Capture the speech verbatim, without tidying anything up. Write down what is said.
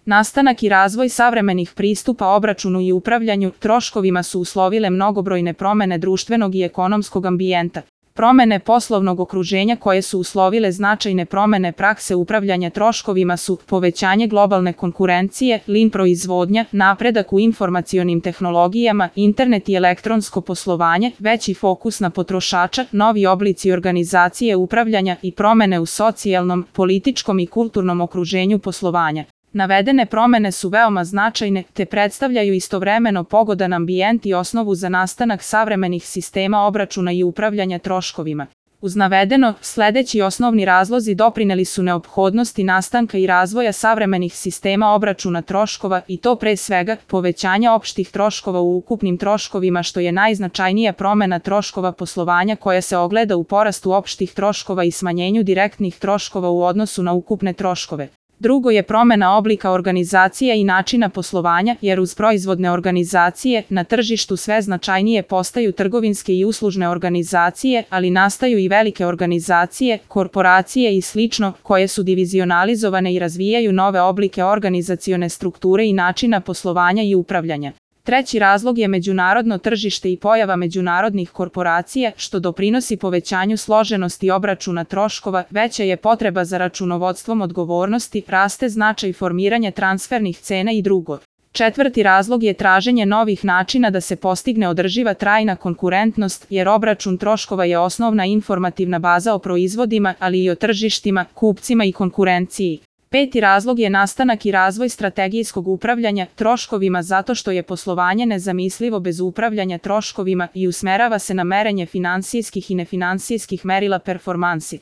Nastanak i razvoj savremenih pristupa obračunu i upravljanju troškovima su uslovile mnogobrojne promene društvenog i ekonomskog ambijenta. Promene poslovnog okruženja koje su uslovile značajne promene prakse upravljanja troškovima su povećanje globalne konkurencije, lean proizvodnja, napredak u informacionim tehnologijama, internet i elektronsko poslovanje, veći fokus na potrošača, novi oblici organizacije upravljanja i promene u socijalnom, političkom i kulturnom okruženju poslovanja. Navedene promene su veoma značajne te predstavljaju istovremeno pogodan ambijent i osnovu za nastanak savremenih sistema obračuna i upravljanja troškovima. Uz navedeno, sledeći osnovni razlozi doprineli su neophodnosti nastanka i razvoja savremenih sistema obračuna troškova i to pre svega povećanja opštih troškova u ukupnim troškovima što je najznačajnija promena troškova poslovanja koja se ogleda u porastu opštih troškova i smanjenju direktnih troškova u odnosu na ukupne troškove. Drugo je promena oblika organizacija i načina poslovanja, jer uz proizvodne organizacije na tržištu sve značajnije postaju trgovinske i uslužne organizacije, ali nastaju i velike organizacije, korporacije i slično, koje su divizionalizovane i razvijaju nove oblike organizacione strukture i načina poslovanja i upravljanja. Treći razlog je međunarodno tržište i pojava međunarodnih korporacija, što doprinosi povećanju složenosti obračuna troškova, veća je potreba za računovodstvom odgovornosti, raste značaj formiranja transfernih cena i drugo. Četvrti razlog je traženje novih načina da se postigne održiva trajna konkurentnost, jer obračun troškova je osnovna informativna baza o proizvodima, ali i o tržištima, kupcima i konkurenciji. Peti razlog je nastanak i razvoj strategijskog upravljanja troškovima zato što je poslovanje nezamislivo bez upravljanja troškovima i usmerava se na merenje finansijskih i nefinansijskih merila performansi.